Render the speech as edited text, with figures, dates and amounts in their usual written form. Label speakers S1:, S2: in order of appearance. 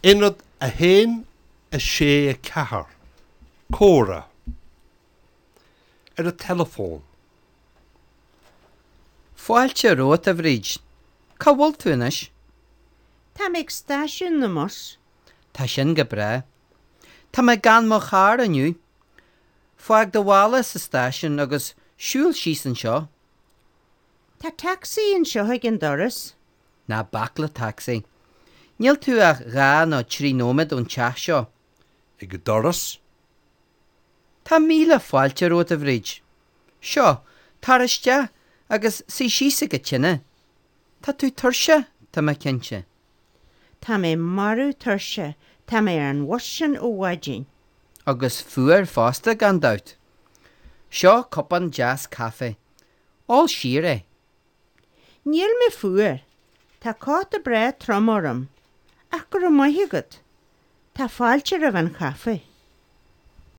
S1: Aonad 1, 6, 4, Comhrá ar an teileafón.
S2: Fáilte romhat, a Bhríd. Cá bhfuil tú anois?
S3: Tá mé ag stáisiún na mbus.
S2: Tá sin go breá. Tá mé gan mo charr inniu. Fág do mhála sa stáisiún agus siúil síos anseo.
S3: Tá tacsaí anseo ag an doras.
S2: Ná bac le tacsaí. Níl tú ach 2 nó 3 nóiméad ón teach seo.
S1: Ag an doras.
S2: Tá míle fáilte romhat, a Bhríd. Seo, tar isteach agus suigh síos ag an tine. Tá tú tuirseach, tá mé cinnte.
S3: Tá mé marbh tuirseach, tá mé ar an bhus sin ó mhaidin.
S2: Agus fuar fosta, gan dabht. Seo cupán deas caife. Ól siar é.
S3: Níl mé fuar. Tá cóta breá trom orm. Ach go raibh maith agat. Tá fáilte roimh an chaife.